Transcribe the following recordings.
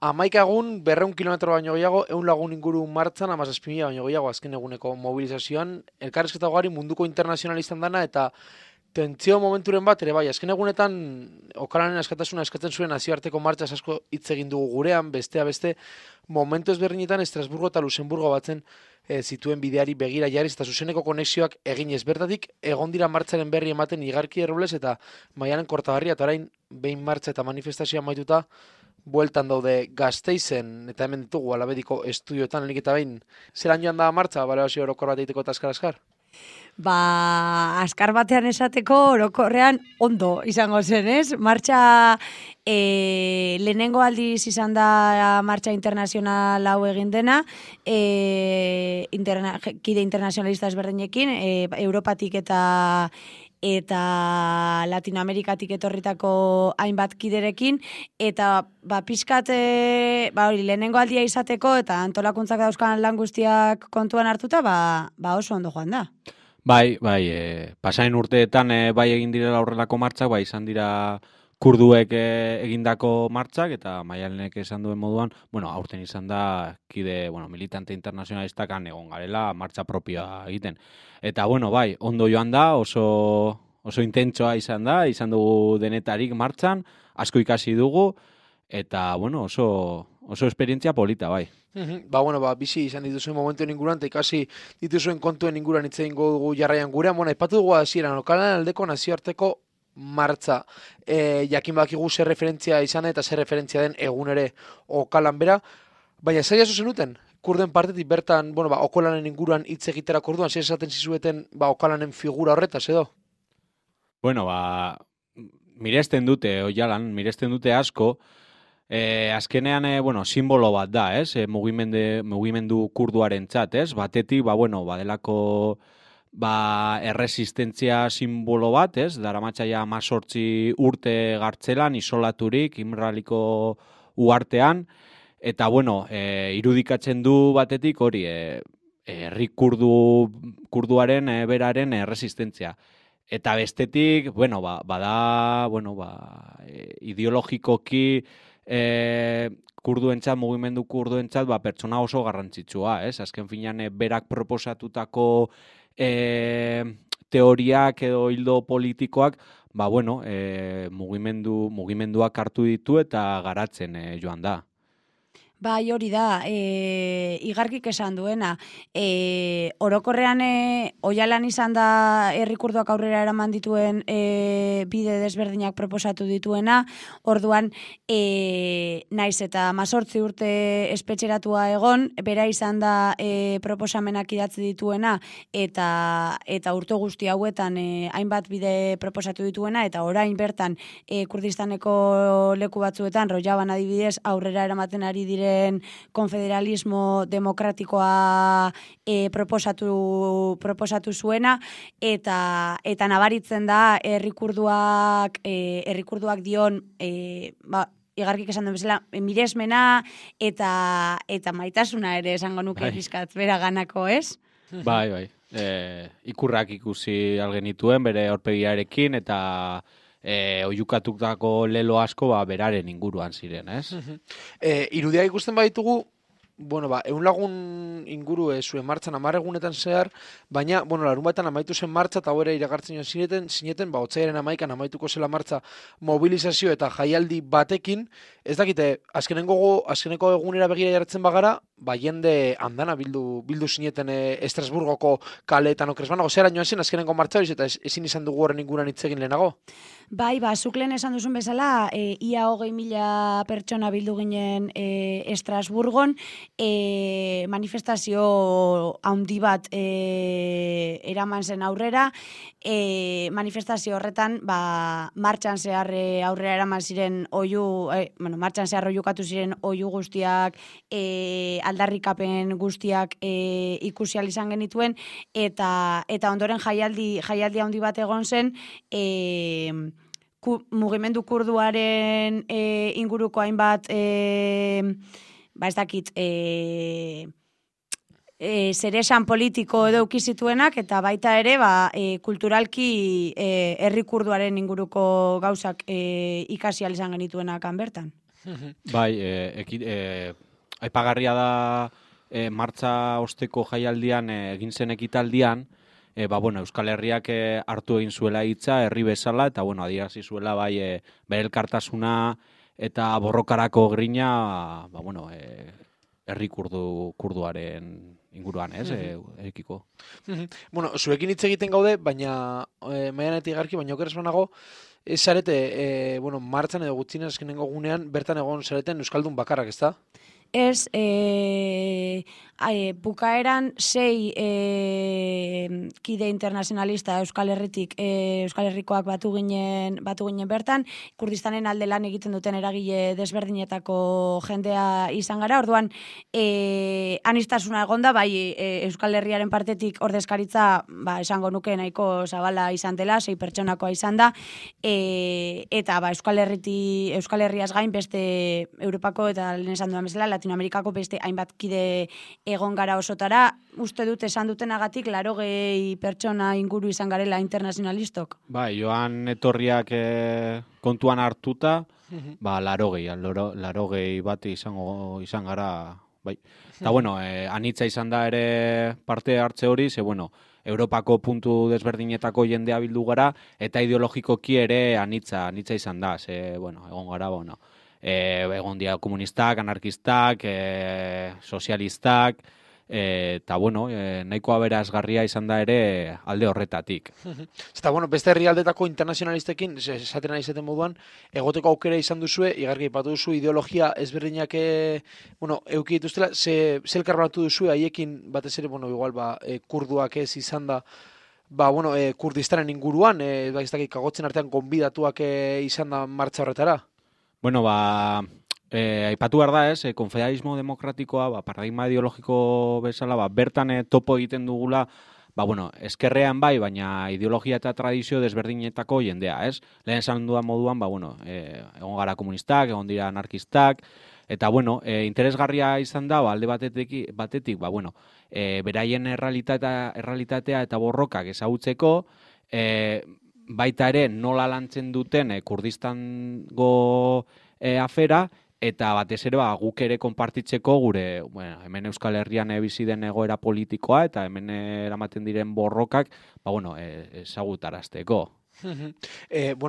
Hamaika egun, 200 kilometro baino gehiago, 100 lagun inguru martzan, 17.000 baino gehiago azken eguneko mobilizazioan, elkarrizketa ugari munduko internazionalistan dana, eta tentsio momenturen bat, ere bai, azken egunetan, Okalanen askatasuna eskatzen zuen nazioarteko martxaz asko hitz egin dugu gurean, bestea beste, momentu ezberdinetan Estrasburgo eta Luxemburgo batzen zituen bideari begira jarriz, eta zuzeneko konexioak eginez. Bertatik, egon dira martxaren berri ematen Igarki Errobles eta Maialen Kortagarria, eta orain, behin martxa eta manifestazioa maituta, bueltan daude Gasteizen, eta hemen ditugu Alabediko estudioetan, lehenik eta behin, zelan joan da martxa, balorazio orokor bat egiteko eta askar-askar? Askar batean esateko orokorrean ondo izango zen, ez? Martxa lehenengo aldiz izan da martxa internazional hau egin dena, kide internazionalista ezberdinekin, Europatik eta Latinoamerikatik etorritako hainbat kiderekin, eta pixkat lehenengo aldia izateko eta antolakuntzak dauzkan lan guztiak kontuan hartuta, oso ondo joan da. Bai, pasain urteetan bai egin direla horrelako martxak, bai izan dira kurduek egindako martxak, eta Maialenek esan duen moduan, aurten izan da kide, militante internazionalistak egon garela martxa propioa egiten. Eta, bai, ondo joan da, oso intentsoa izan dugu denetarik martxan, asko ikasi dugu, eta, oso esperientzia polita, bai. Bizi izan dituzuen momentuen inguruan, eta ikasi dituzuen kontuen inguruan hitz egingo dugu jarraian gurean. Aipatu dugu hasieran Okalanen aldeko nazioarteko martxa. Jakin bakigu zer referentzia izan eta zer referentzia den egun ere Okalan bera. Baina zer jaso zenuten? Kurden partetik bertan, Okalanen inguruan hitz egitera orduan, zer esaten zizueten Okalanen figura horretaz edo? Miresten dute asko. Azkenean, simbolo bat da, ez? Mugimendu kurduaren txat, ez? Batetik, badelako erresistentzia simbolo bat, ez? Daramatzaia 18 urte gartzelan, isolaturik, Imraliko uhartean, eta, irudikatzen du batetik hori, herri kurduaren beraren erresistentzia. Eta bestetik, ideologikoki mugimendu kurduentzat, pertsona oso garrantzitsua, ez? Azken finean, berak proposatutako teoriak edo hildo politikoak, mugimenduak hartu ditu eta garatzen joan da. Bai, hori da, Igarkik esan duena. Orokorrean Oialan izan da herri kurduak aurrera eraman dituen bide desberdinak proposatu dituena, orduan naiz eta 18 urte espetxeratua egon, bera izan da proposamenak idatzi dituena, eta urte guzti hauetan hainbat bide proposatu dituena, eta orain bertan Kurdistaneko leku batzuetan, Rojaban adibidez, aurrera eramaten ari dire konfederalismo demokratikoa proposatu zuena, eta nabaritzen da herri kurduak dion Igarkik esan duen bezala, miresmena eta maitasuna ere esango nuke pizkat bera ganako, ez? Bai. Ikurrak ikusi algenituen bere aurpegiarekin, eta oihukatutako lelo asko beraren inguruan ziren, ez? Irudia ikusten baditugu, 100 lagun inguru zuen martxan 10 egunetan zehar, baina, larunbatean amaitu zen martxa, eta hori iragartzen zineten, otsailaren 11an amaituko zela martxa mobilizazio eta jaialdi batekin, ez dakite, azkeneko egunera begira jartzen bagara, jende andana bildu zineten Estrasburgoko kaleetan okrezbanago, zera joan zen azkeneko martxa horiz, eta ezin izan dugu horren inguruan hitz egin lehenago? Bai, zuk lehen esan duzun bezala, ia 20.000 pertsona bildu ginen Estrasburgon, manifestazio handi bat eraman zen aurrera, manifestazio horretan martxan zehar aurrera eraman ziren martxan zehar oihukatu ziren oihu guztiak, aldarrikapen guztiak ikusi ahal izan genituen, eta ondoren jaialdi handi bat egon zen, mugimendu kurduaren inguruko hainbat ez dakit zeresan politiko edo ukizituenak, eta baita ere kulturalki herri kurduaren inguruko gauzak ikasi ahal izan genituenak bertan. Bai, aipagarria da martxa osteko jaialdian egin zen ekitaldian, Euskal Herriak hartu egin zuela hitza herri bezala, eta adierazi zuela bere elkartasuna eta borrokarako grina, herri kurduaren inguruan, ez, ekiko. Zuekin hitz egiten gaude, baina maianetik garki, baina okeres banago, ez zarete, martzan edo gutxinez azkenengo gunean, bertan egon zareten Euskaldun bakarrak, ez da? Ez, bukaeran 6 kide internazionalista Euskal Herritik, Euskal Herrikoak batu ginen bertan, Kurdistanen alde lan egiten duten eragile desberdinetako jendea izan gara, orduan anistasuna egonda, bai Euskal Herriaren partetik ordezkaritza, esango nuke nahiko zabala izan dela, 6 pertsonakoa izan da, eta Euskal Herriaz gain beste Europako eta lehen esan duan bezala, Latinoamerikako beste hainbat kide egon gara osotara, uste dut esan dutenagatik 80 pertsona inguru izan garela internazionalistok. Joan etorriak kontuan hartuta, 80 bat izan gara, bai. Eta anitza izan da ere parte hartze hori, ze Europako puntu desberdinetako jendea bildu gara, eta ideologikoki ere anitza izan da, ze, egon gara, egon dira komunistak, anarkistak, sozialistak, eta nahiko aberasgarria izan da ere alde horretatik. Eta beste herrialdetako internazionalistekin, esaten ari zaten moduan, egoteko aukera izan duzue, igarki aipatu duzu ideologia ezberdinak euki dituztela, ze elkarbatu duzue haiekin batez ere, igual kurduak ez izan da, Kurdistanen inguruan, ez dakit kagotzen artean gonbidatuak izan da martxa horretara? Aipatu behar da ez, konfederalismo demokratikoa, paradigma ideologiko bezala, bertan topo egiten dugula, eskerrean bai, baina ideologia eta tradizio desberdinetako jendea, ez? Lehen esan dudan moduan, egon gara komunistak, egon dira anarkistak, eta, interesgarria izan da, alde batetik, beraien errealitatea eta borrokak ezagutzeko, baita ere nola lantzen duten Kurdistango afera, eta batez ere guk ere konpartitzeko gure hemen Euskal Herrian bizi den egoera politikoa eta hemen eramaten diren borrokak ezagutarazteko.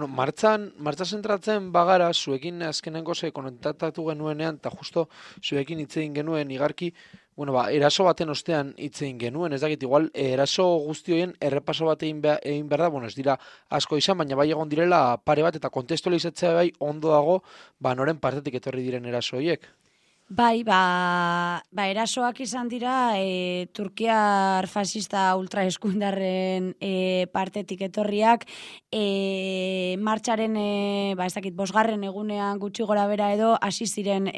Martxan zentratzen bagara, zuekin azkenengo kontaktatu genuenean, eta justo zuekin hitz egin genuen igarki, eraso baten ostean hitz egin genuen, ez dakit, igual, eraso guzti horien errepaso bat egin behar da, ez dira asko izan, baina bai egon direla pare bat, eta kontestualizatzea bai ondo dago, noren partetik etorri diren eraso horiek. Bai, erasoak izan dira Turkiar fascista ultraeskuindarren partetik etorriak, martxaren, ez dakit, 5. egunean gutxi gora bera edo, hasi ziren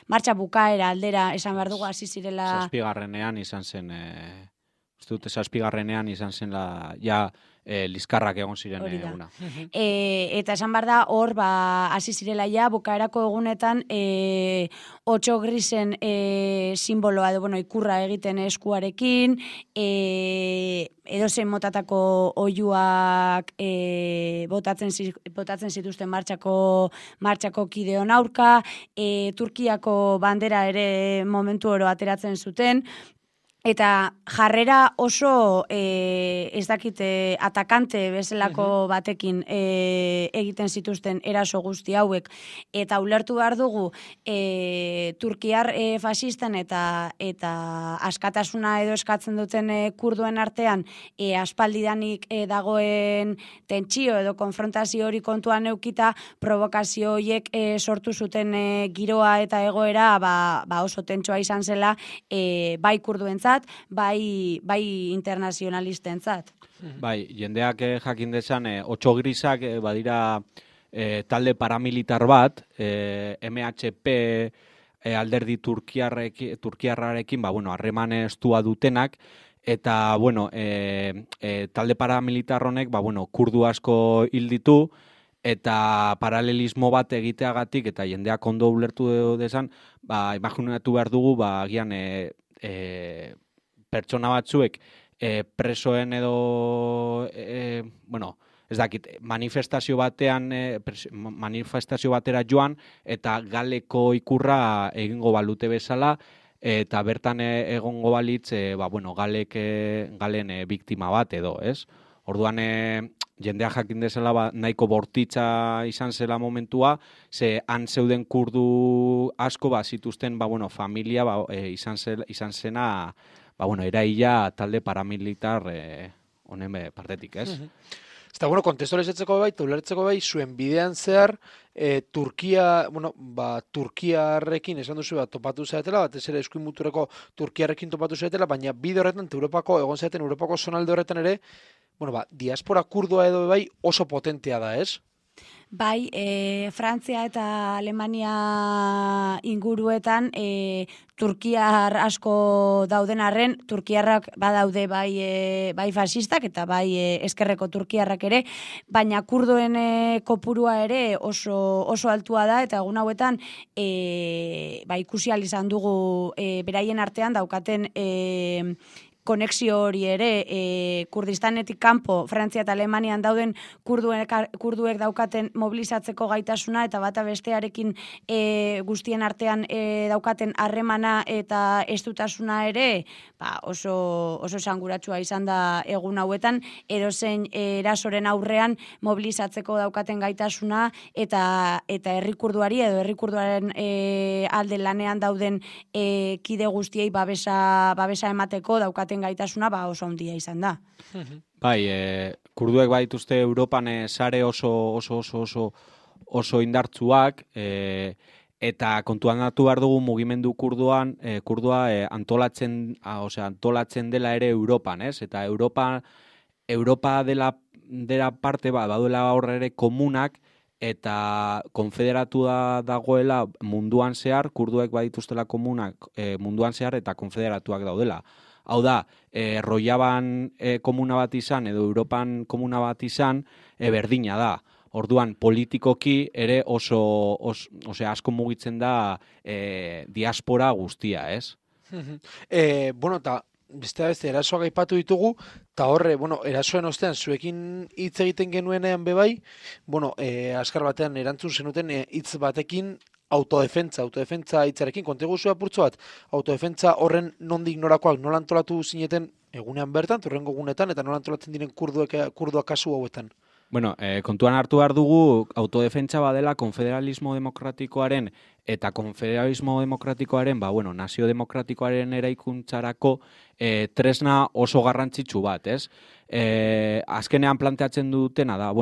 martxa bukaera aldera, esan behar dugu, hasi zirela... 7. izan zen, uste dute 7. izan zen liskarrak egon ziren eguna. Eta esan behar da, hor, hasi zirela bukaerako egunetan 8 grisen simboloa, ikurra egiten eskuarekin, edozein motatako oihuak botatzen zituzten martxako kideon aurka, Turkiako bandera ere momentu oro ateratzen zuten, eta jarrera oso ez dakite atakante bezalako batekin egiten zituzten eraso guzti hauek, eta ulertu behar dugu Turkiar fasisten eta askatasuna edo eskatzen duten kurduen artean aspaldidanik dagoen tentsio edo konfrontazio hori kontuan eukita, provokazio horiek sortu zuten giroa eta egoera oso tentsoa izan zela bai kurduentzat, bai internazionalistentzat. Bai, jendeak jakin dezan, 8 grisak badira talde paramilitar bat, MHP alderdi turkiarrarekin, harreman estua dutenak, eta, talde paramilitar honek, kurdu asko hil ditu, eta paralelismo bat egiteagatik, eta jendeak ondo ulertu dezan, imaginatu behar dugu, agian pertsona batzuek presoen edo ez dakit, manifestazio batera joan, eta galeko ikurra egingo balute bezala, eta bertan egongo balitz, galen biktima bat edo, ez? Orduan, jendea jakin dezala nahiko bortitza izan zela momentua, ze han zeuden kurdu asko zituzten familia izan zena eraila talde paramilitar honen partetik, ez? Eta, kontestualizatzeko ulertzeko zuen bidean zehar, Turkiarrekin esan duzu topatu zaretela, batez ere eskuin muturreko Turkiarrekin topatu zaretela, baina bide horretan, egon zaeten Europako zonalde horretan ere, diaspora kurdoa edo oso potentea da, ez? Bai, Frantzia eta Alemania inguruetan turkiar asko dauden arren, turkiarrak badaude bai fasistak eta bai eskerreko turkiarrak ere, baina kurdoen kopurua ere oso altua da, eta egun hauetan ikusi ahal izan dugu beraien artean daukaten konexio hori ere, Kurdistanetik kanpo, Frantzia eta Alemanian dauden kurduek daukaten mobilizatzeko gaitasuna eta bata bestearekin guztien artean daukaten harremana eta estutasuna ere oso esanguratsua izan da egun hauetan, edozein erasoren aurrean mobilizatzeko daukaten gaitasuna eta herri kurduari edo herri kurduaren alde lanean dauden kide guztiei babesa emateko daukaten gaitasuna oso handia izan da. Bai, kurduek baituzte Europan sare oso oso indartzuak, eta kontuan hartu behar dugu mugimendu kurdua antolatzen dela ere Europan, ez? Eta Europa dela parte baduela horre ere komunak, eta konfederatua dagoela munduan zehar, kurduek badituztela komunak munduan zehar eta konfederatuak daudela. Hau da, Rojaban komuna bat izan edo Europan komuna bat izan, berdina da. Orduan, politikoki ere asko mugitzen da diaspora guztia, ez? Eta beste erasoak aipatu ditugu, eta horre, erasoen ostean zuekin hitz egiten genuenean bebai, azkar batean erantzun zenuten hitz batekin autodefentza hitzarekin, konteguzu apurtzo bat, autodefentza horren nondik norakoak, nola antolatu zineten egunean bertan, torrengo egunetan, eta nola antolatzen diren kurduak kasu hauetan? Kontuan hartu behar dugu autodefentsa badela konfederalismo demokratikoaren eta konfederalismo demokratikoaren, nazio demokratikoaren eraikuntzarako tresna oso garrantzitsu bat, ez? Azkenean planteatzen dutena da,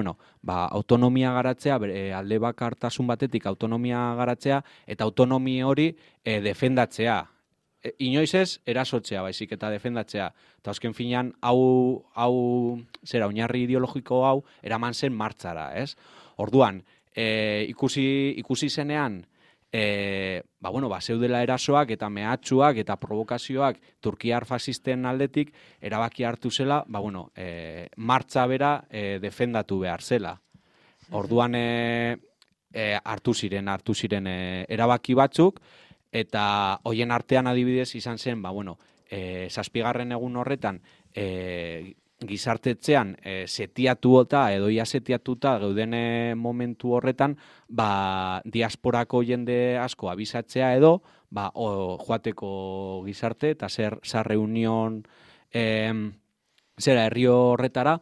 autonomia garatzea, alde bakartasun batetik autonomia garatzea, eta autonomia hori defendatzea. Inoiz ez, erasotzea baizik eta defendatzea. Eta azken finean, oinarri ideologiko hau, eraman zen martxara, ez? Orduan, ikusi zenean, zeudela erasoak eta mehatxuak eta provokazioak turkiar fasisten aldetik, erabaki hartu zela, martxa bera defendatu behar zela. Orduan, hartu ziren erabaki batzuk, eta hoien artean adibidez izan zen, 7. egun horretan gizartetzean setiatuta edo ia setiatuta geuden momentu horretan, diasporako jende asko abisatzea edo joateko gizarte eta zer reunion herri horretara,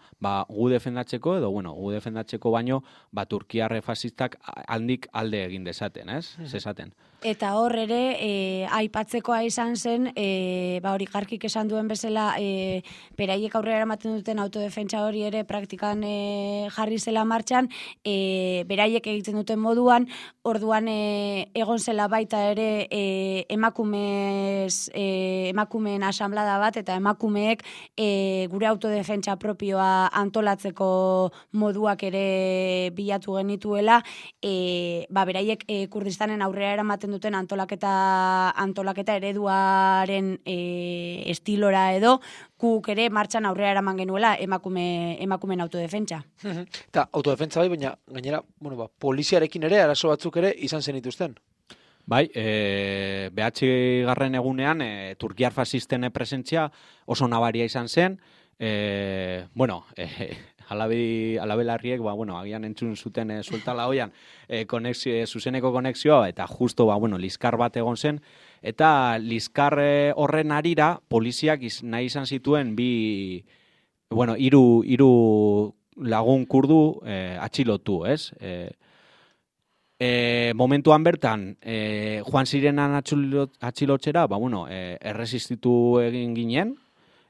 gu defendatzeko edo, gu defendatzeko baino, turkiarre fasistak handik alde egin dezaten, ez? Zezaten. Eta hor ere, aipatzekoa izan zen, hori Garkik esan duen bezala, beraiek aurrera eramaten duten autodefentsa hori ere praktikan jarri zela martxan, beraiek egiten duten moduan, orduan egon zela baita ere emakumeen asamblada bat, eta emakumeek gure autodefentsa propioa antolatzeko moduak ere bilatu genituela, beraiek Kurdistanen aurrera eramaten duten antolaketa ereduaren estilora edo, guk ere martxan aurrera eraman genuela emakumeen autodefentsa. Eta autodefentsa baina gainera, poliziarekin ere, arazo batzuk ere izan zenituzten. Bai, behatzigarren egunean, turkiar fasisten presentzia oso nabaria izan zen, alabelarriek, bueno, agian entzun zuten sueltala hoian, zuzeneko konexioa, eta justo, bueno, liskar bat egon zen, eta liskar horren arira, poliziak nahi izan zituen bueno, hiru lagun kurdu atxilotu, ez? Momentuan bertan, joan zirenan atxilotzera, bueno, erresistitu egin ginen,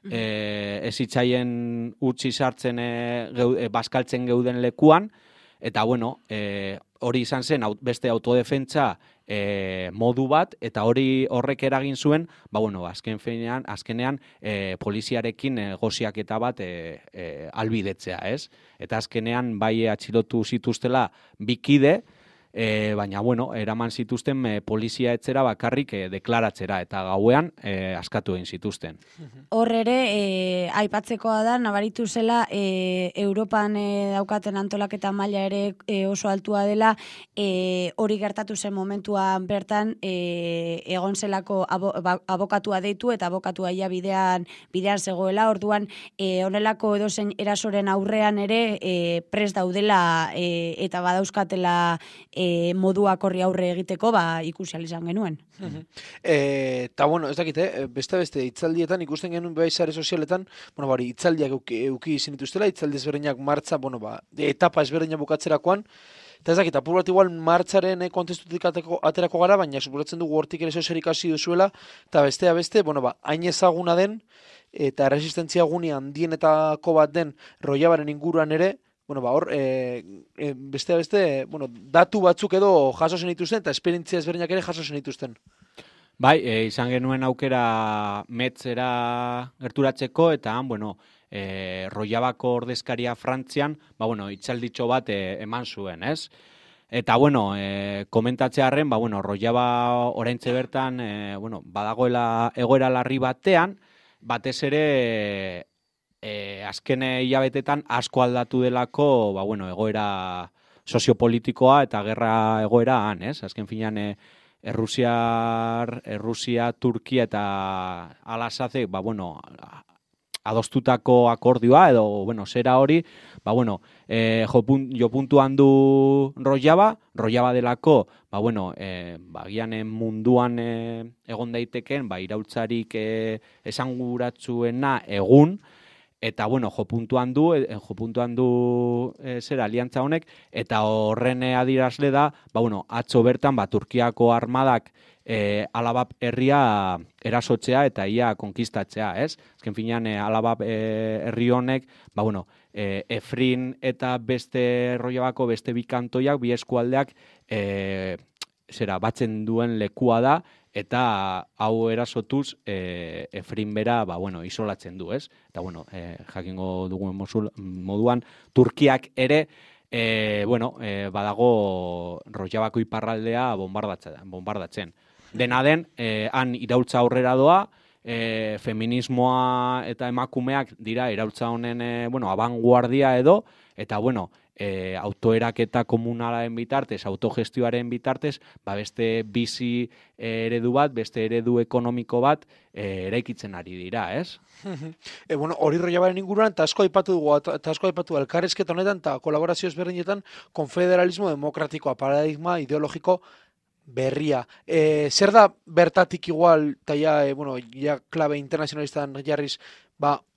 ez itzaien utzi sartzen bazkaltzen geuden lekuan, eta bueno, hori izan zen beste autodefentsa modu bat, eta horrek eragin zuen, bueno, azkenean poliziarekin negoziaketa bat albidetzea, ez? Eta azkenean bai atxilotu zituztela bikide, baina, bueno, eraman zituzten polizia etzera bakarrik deklaratzera, eta gauean askatu egin zituzten. Hor ere, aipatzekoa da, nabaritu zela, Europan daukaten antolaketa maila ere oso altua dela, hori gertatu zen momentuan bertan, egon zelako abokatua deitu, eta abokatua ia bidean zegoela, orduan, honelako edozein erasoren aurrean ere, prest daudela eta badauzkatela moduak horri aurre egiteko, ikusi izan genuen. Eta, bueno, ez dakit, beste hitzaldietan ikusten genuen bai sare sozialetan, bueno, bari, hitzaldiak euki izin dituztela, hitzaldi ezberdinak martza, bueno, etapa ezberdinak bukatzerakoan, eta ez dakit, apur bat igual martzaren kontestutik aterako gara, baina suposatzen dugu hortik ere sozialik hasi duzuela, eta beste, bueno, hain ezaguna den, eta resistentzia guni handienetako bat den Rojavaren inguruan ere, bueno, hor, beste, bueno, datu batzuk edo jaso zen dituzten, eta esperientzia ezberdinak ere jaso zen dituzten. Bai, izan genuen aukera metzera gerturatzeko, eta bueno, Rojavako ordezkaria Frantzian, bueno, itzalditxo bat eman zuen, ez? Eta, bueno, komentatzearren, bueno, Rojava oraintxe bertan, bueno, badagoela egoera larri batean, batez ere azken hilabetetan asko aldatu delako, bueno, egoera soziopolitikoa eta gerra egoera han, ez? Azken finean Errusia, Turkia eta Al-Assadek, bueno, adostutako akordioa edo, bueno, zera hori, bueno, jo puntuan du Rojava delako, bueno, gian munduan egon daiteken, iraultzarik esanguratsuena egun, eta, bueno, jo puntuan du zera aliantza honek, eta horren adierazle da, bueno, atzo bertan, Turkiako armadak Alabab herria erasotzea eta ia konkistatzea, ez? Azken finean, Alabab herri honek, bueno, Efrin eta beste Rojavako beste bikantoiak, bi eskualdeak batzen duen lekua da, eta hau erasotuz Efrin bera, bueno, isolatzen du, ez? Eta, bueno, jakingo dugun moduan, Turkiak ere, bueno, badago Rojavako iparraldea bombardatzen. Dena den, han iraultza aurrera doa, feminismoa eta emakumeak dira iraultza honen, bueno, abanguardia edo, eta, bueno, autoeraketa komunalaren bitartez, autogestioaren bitartez, beste bizi eredu bat, beste eredu ekonomiko bat eraikitzen ari dira, ez? Bueno, hori Rojavaren inguruan, eta asko aipatu elkarrizketa honetan, eta kolaborazio ezberdinetan, konfederalismo demokratikoa, paradigma ideologiko berria. Zer da bertatik igual, eta ja klabe internazionalistan jarriz,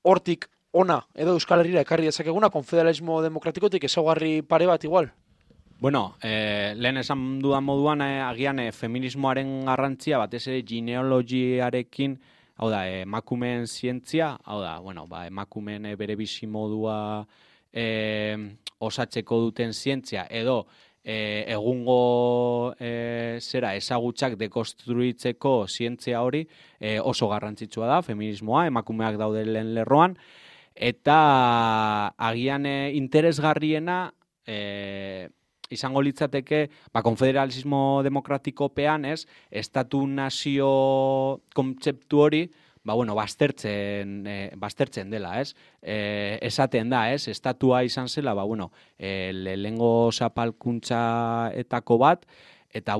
hortik ona, edo Euskal Herriera ekarri dezakeguna, konfederalismo demokratikotik ezaugarri pare bat igual? Bueno, lehen esan dudan moduan, agian feminismoaren garrantzia, batez ere genealogiarekin, hau da, emakumeen zientzia, hau da, bueno, emakumeen bere bizi modua osatzeko duten zientzia, edo egungo ezagutzak dekonstruitzeko zientzia hori oso garrantzitsua da, feminismoa, emakumeak daude lehen lerroan, eta agian interesgarriena izango litzateke konfederalismo demokratikopean, estatu-nazio kontzeptu hori baztertzen dela, ez? Esaten da, ez? Estatua izan zela, lehengo zapalkuntzaetako bat, eta,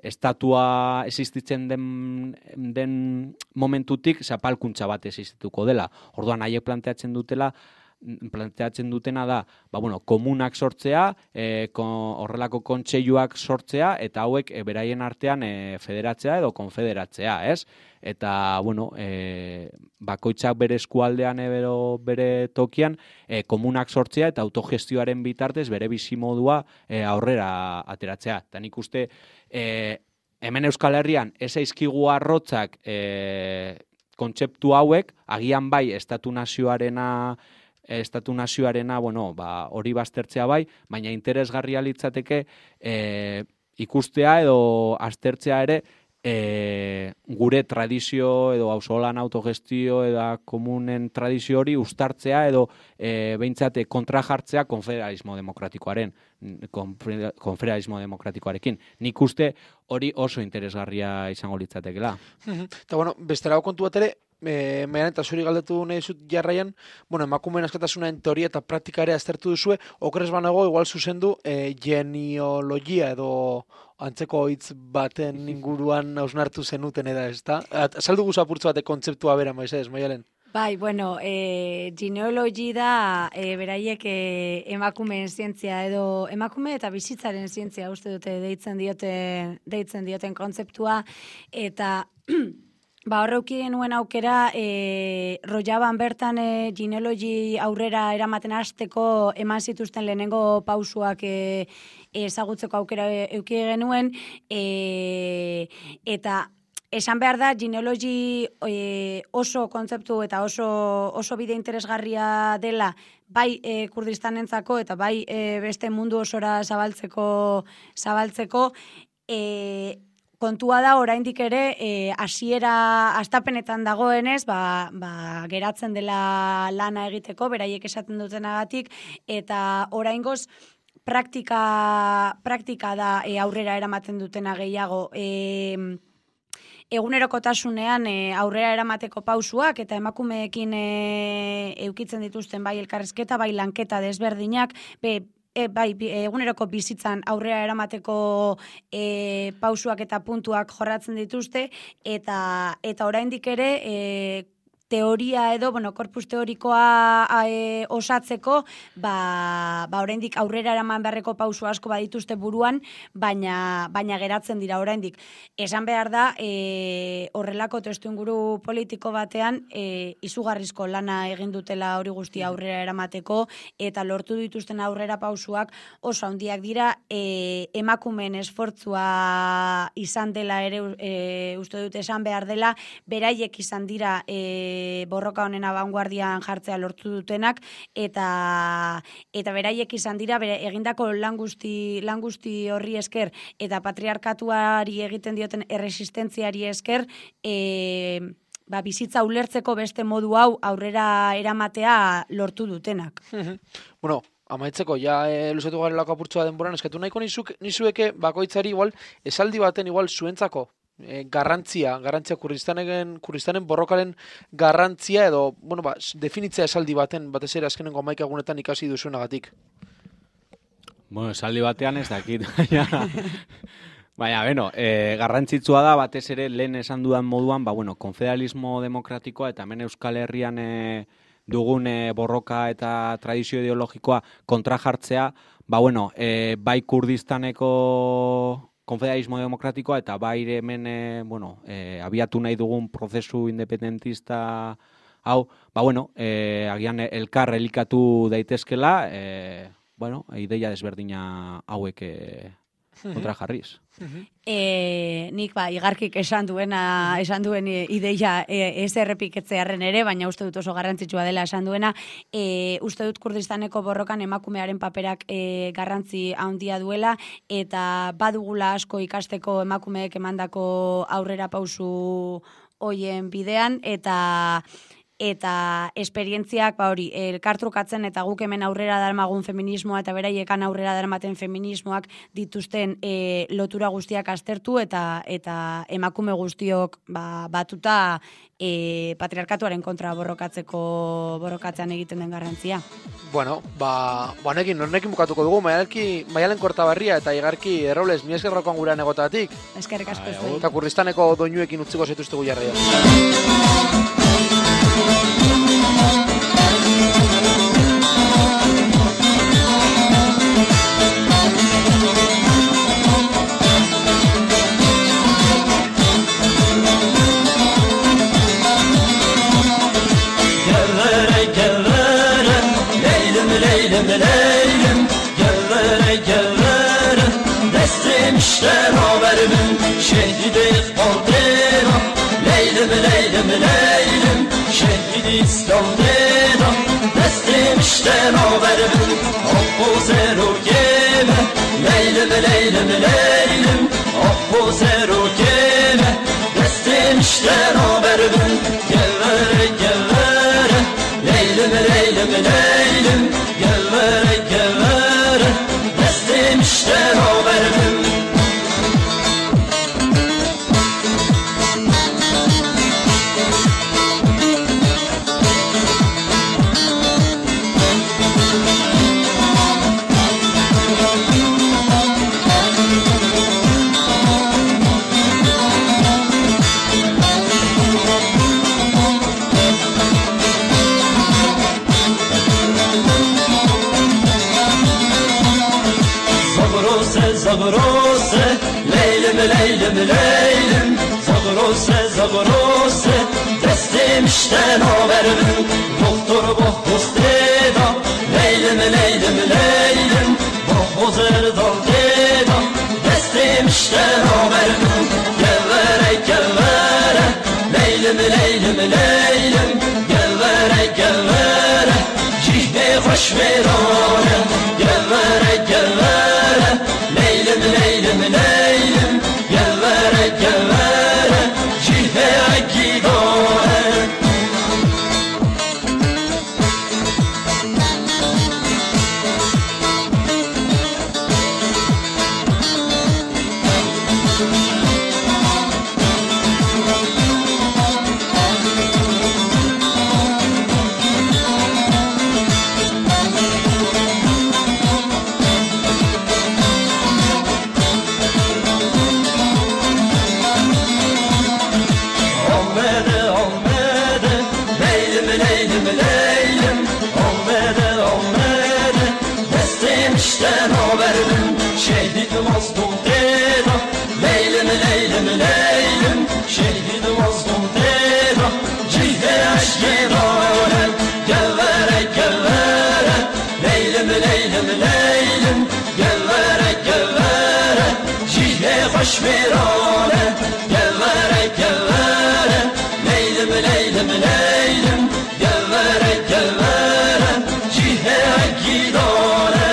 estatua existitzen den momentutik zapalkuntza bat existituko dela. Orduan, haiek planteatzen dutela, planteatzen dutena da, komunak sortzea, horrelako kontseiluak sortzea, eta hauek beraien artean federatzea edo konfederatzea, ez? Eta, bakoitzak bere eskualdean edo bere tokian, komunak sortzea eta autogestioaren bitartez bere bizimodua aurrera ateratzea. Eta nik uste, hemen Euskal Herrian, ez zaizkigu arrotzak kontzeptu hauek, agian bai, estatu nazioarena, hori baztertzea bai, baina interesgarria litzateke ikustea edo aztertzea ere gure tradizio edo auzolan autogestio edo komunen tradizio hori uztartzea edo behintzat kontra jartzea konfederalismo demokratikoarekin. Nik uste hori oso interesgarria izango litzatekela. Eta besterago kontu bat ere, Maialen eta zuri galdetu nahi zut jarraian, emakumeen askatasunaren teoria eta praktika ere aztertu duzue, okrez banago igual zuzendu genealogia edo antzeko hitz baten inguruan hausnartu zenuten eda, ezta? Azaldu guzu apurtzu batek kontzeptua bera, Maialen? Bai, genealogi da beraiek emakumeen zientzia edo emakume eta bizitzaren zientzia uste dute deitzen dioten kontzeptua, eta horreuki genuen aukera Rojaban bertan genealogi aurrera eramaten hasteko eman zituzten lehenengo pausuak ezagutzeko aukera euki genuen, eta esan behar da, genealogi oso kontzeptu eta oso bide interesgarria dela, bai Kurdistanentzako eta bai beste mundu osora zabaltzeko, kontua da oraindik ere hastapenetan dagoenez, geratzen dela lana egiteko, beraiek esaten dutenagatik, eta oraingoz praktika da aurrera eramaten dutena gehiago. Egunerokotasunean aurrera eramateko pausuak eta emakumeekin eukitzen dituzten bai elkarrizketa, bai lanketa desberdinak, eguneroko bizitzan aurrera eramateko pausuak eta puntuak jorratzen dituzte, eta oraindik ere teoria edo, korpus teorikoa osatzeko, oraindik aurrera eraman beharreko pausu asko badituzte buruan, baina geratzen dira oraindik. Esan behar da, horrelako testuinguru politiko batean, izugarrizko lana egin dutela hori guztia aurrera eramateko, eta lortu dituzten aurrera pausuak oso handiak dira, emakumeen esfortzua izan dela ere, uste dut esan behar dela, beraiek izan dira borroka honen abanguardian jartzea lortu dutenak, eta beraiek izan dira egindako lan guzti horri esker eta patriarkatuari egiten dioten erresistentziari esker bizitza ulertzeko beste modu hau aurrera eramatea lortu dutenak. Amaitzeko, luzatu garelako apurtzua denboran, eskatu nahiko nizueke bakoitzari igual, esaldi baten igual zuentzako garrantzia Kurdistanen borrokaren garrantzia edo, definitzea esaldi baten, batez ere azkenengo 11 egunetan ikasi duzuenagatik. Esaldi batean ez dakit. Baina, garrantzitsua da, batez ere lehen esan dudan moduan, konfederalismo demokratikoa eta hemen Euskal Herrian dugun borroka eta tradizio ideologikoa kontra jartzea, bai Kurdistaneko konfederalismo demokratikoa eta bai hemen abiatu nahi dugun prozesu independentista hau, agian elkar elikatu daitezkela, ideia desberdina hauek kontra jarriz. Nik igarkik esan duen ideia ez errepiketzearen ere, baina uste dut oso garrantzitsua dela esan duena. Uste dut Kurdistaneko borrokan emakumearen paperak garrantzi handia duela, eta badugula asko ikasteko emakumeek emandako aurrera pausu hoien bidean, eta esperientziak elkartrukatzen eta guk hemen aurrera darmagun feminismoa eta beraiekan aurrera darmaten feminismoak dituzten lotura guztiak aztertu eta emakume guztiok batuta patriarkatuaren kontra borrokatzean egiten den garrantzia. Honekin bukatuko dugu, Maialen Kortaberria eta Igarki Errobles, mi esker rokoan gurean egotatik. Eskerrik asko zuei. Eta Kurdistaneko doinuekin utziko zaituztegu jarraia. istiqbaldera Leylim, leylim, leylim Şehid İslam'dera Destim işten haberim Abbu zerugeme Leylim, leylim, leylim Abbu zerugeme Destim işten haberim Gevvere, gevvere Leylim, leylim, leylim Gevvere, gevvere Destim işten haberim Zagrose, leylim, leylim, leylim Zagrose, zagrose Destim işten haberim Doktor bohbuz deda Leylim, leylim, leylim Bohbuz erdal deda Destim işten haberim Gevvere, gevvere Leylim, leylim, leylim Gevvere, gevvere Cihne hoş verane Gevvere, gevvere Leylim, leylim, leylim Gevvere, gevvere Cihve gidare İşten haberim Şehit mazlum deda Leylim, leylim, leylim Şehit mazlum deda Cihve eşkidare Gevvere, gevvere Leylim, leylim, leylim Gevvere, gevvere Cihve hoş verane Gevvere, gevvere Leylim, leylim, leylim Gevvere, gevvere Cihve gidare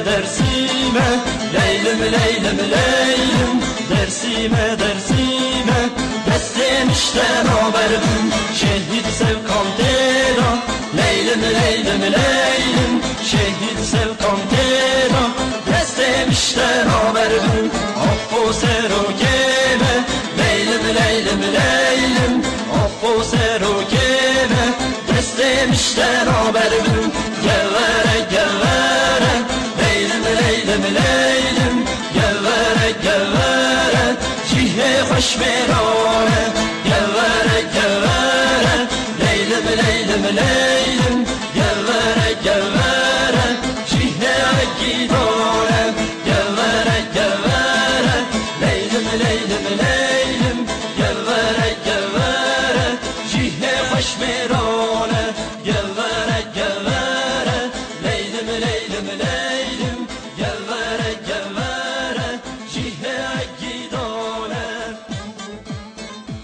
Dersime, leylim, leylim, leylim Dersime, dersime Destim işten haberim Şehit sevkan deda Leylim, leylim, leylim Şehit sevkan deda Destim işten haberim Abbu zerugeme Leylim, leylim, leylim Abbu zerugeme Destim işten haberim Gevvere, gevvere Leylim, leylim, leylim Gevvere, gevvere Cihve hoş verane Gevvere, gevvere Leylim, leylim, leylim Gevvere, gevvere Cihve gidare Gevvere, gevvere Leylim, leylim, leylim Gevvere, gevvere Cihve hoş verane Gevvere, gevvere Leylim, leylim, leylim